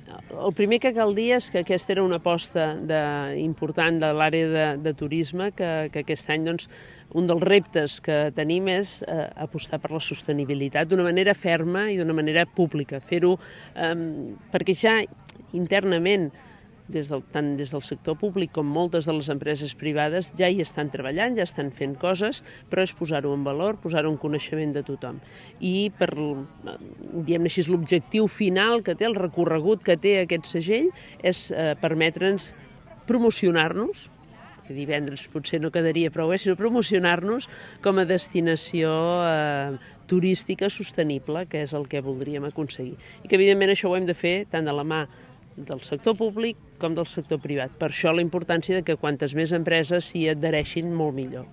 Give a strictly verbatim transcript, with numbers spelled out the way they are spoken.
el primer que cal dir és que aquesta era una aposta de, important de l'àrea de, de turisme, que, que aquest any doncs, un dels reptes que tenim és eh, apostar per la sostenibilitat d'una manera ferma i d'una manera pública, fer-ho eh, perquè ja internament, des del, tant des del sector públic com moltes de les empreses privades ja hi estan treballant, ja estan fent coses, però és posar-ho en valor, posar-ho en coneixement de tothom. I per, diguem-ne així, l'objectiu final que té, el recorregut que té aquest segell, és eh, permetre'ns promocionar-nos, divendres potser no quedaria prou bé, sinó promocionar-nos com a destinació eh, turística sostenible, que és el que voldríem aconseguir. I que, evidentment, això ho hem de fer tant de la mà del sector públic com del sector privat. Per això la importància de que quantes més empreses s'hi adhereixin, molt millor.